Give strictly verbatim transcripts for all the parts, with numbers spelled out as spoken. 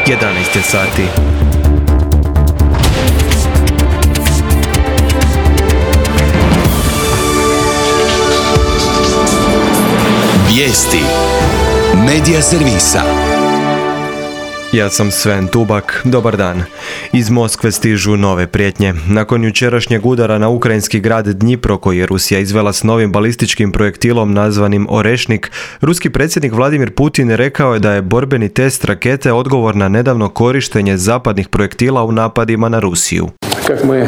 jedanaest je sati. Vijesti Medija servisa. Ja sam Sven Tubak, dobar dan. Iz Moskve stižu nove prijetnje. Nakon jučerašnjeg udara na ukrajinski grad Dnjipro, koji je Rusija izvela s novim balističkim projektilom nazvanim Orešnik, ruski predsjednik Vladimir Putin rekao je da je borbeni test rakete odgovor na nedavno korištenje zapadnih projektila u napadima na Rusiju. Kako mi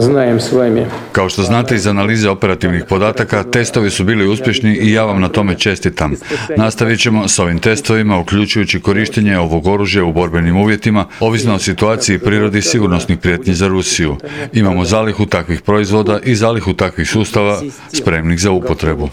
znajem s vami. Kao što znate iz analize operativnih podataka, testovi su bili uspješni i ja vam na tome čestitam. Nastavit ćemo s ovim testovima, uključujući korištenje ovog oružja u borbenim uvjetima, ovisno o situaciji i prirodi sigurnosnih prijetnji za Rusiju. Imamo zalihu takvih proizvoda i zalihu takvih sustava spremnih za upotrebu.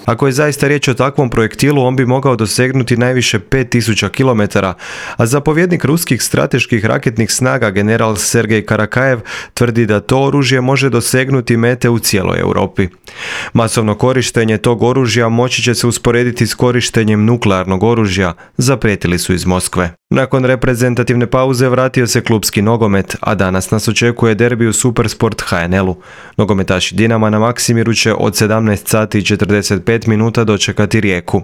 Ako je zaista riječ o takvom projektilu, on bi mogao dosegnuti najviše pet tisuća kilometara, a zapovjednik ruskih strateških raketnih snaga general Sergej Karakajev tvrdi da to oružje može dosegnuti mete u cijeloj Europi. Masovno korištenje tog oružja moći će se usporediti s korištenjem nuklearnog oružja, zaprijetili su iz Moskve. Nakon reprezentativne pauze vratio se klupski nogomet, a danas nas očekuje derbi u Supersport ha en el-u. Nogometaši Dinama na Maksimiru će od sedamnaest sati i četrdeset pet minuta dočekati Rijeku.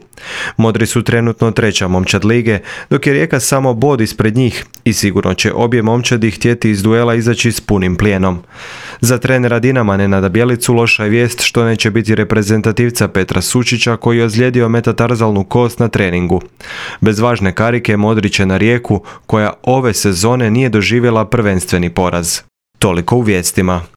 Modri su trenutno treća momčad lige, dok je Rijeka samo bod ispred njih i sigurno će obje momčadi htjeti iz duela izaći s punim plijenom. Za trenera Dinama Nenada Bjelicu loša je vijest što neće biti reprezentativca Petra Sučića, koji je ozlijedio metatarzalnu kost na treningu. Bez važne karike Modri će na Rijeku, koja ove sezone nije doživjela prvenstveni poraz. Toliko u vijestima.